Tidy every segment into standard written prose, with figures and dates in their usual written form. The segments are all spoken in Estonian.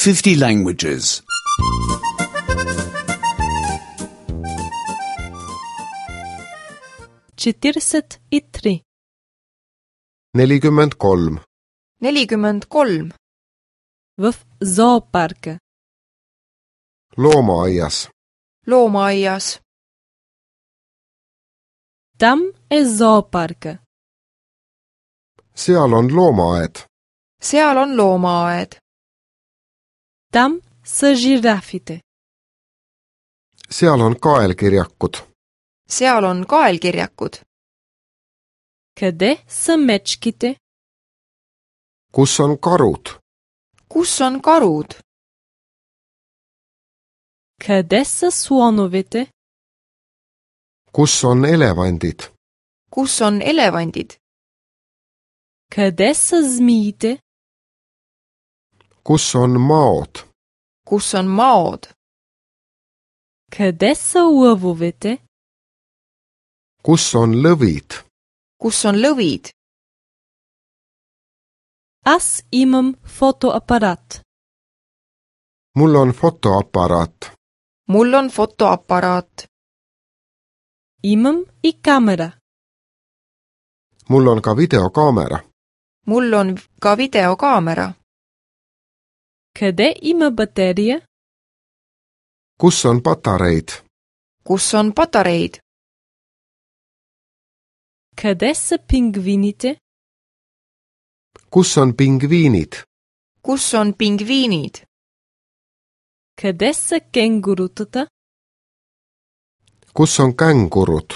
50 languages. 43. 43. 43. В зоопарка. Loomaaias. Loomaaias. Там е зоопарка. Seal on loomaaed. Seal on loomaaed. Там са жирафите. Seal on kaelkirjakud. Seal on kaelkirjakud. Къде са мечките? Kus on karud? Kus on karud? Къде са слоновете? Kus on elevandid? Kus on elevandid? Къде са змиите? Kus on maod? Kus on maod? Къде са лъвовете? Kus on lõvid? Kus on lõvid? Аз имам фотоапарат. Mul on fotoaparaat. Mul on fotoaparaat. Имам и камера. Mul on ka videokaamera. Mul on ka videokaamera. Къде има батерия? Kus on patareid? Kus on patareid? Къде са пингвините? Kus on pingviinid? Kus on pingviinid? Къде са кенгурутата? Kus on kängurud?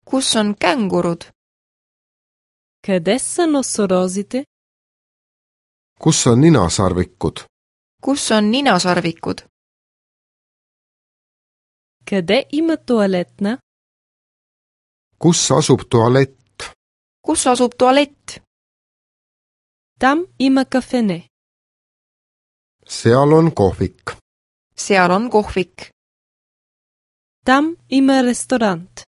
Kus on kängurud? Къде са носорозите? Kus on ninasarvikud? Kus on ninasarvikud? Къде има туалетна? Kus asub tualett? Kus asub tualett? Там има кафене. Seal on kohvik. Seal on kohvik. Там има ресторант.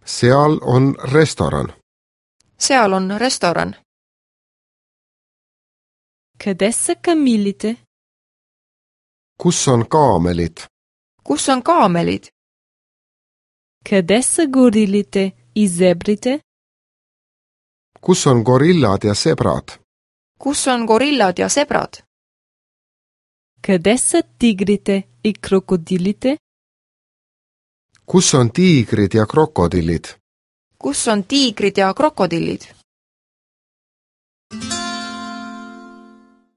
Seal on restoran. Seal on restoran. Къде са камилите? Kus on kaamelid? Kus on kaamelid? Къде са горилите и зебрите? Kus on gorillad ja sebrad? Kus on gorillad ja sebrad? Къде са тигрите и крокодилите? Kus on tiigrid ja krokodillid? Kus on tiigrid ja krokodillid?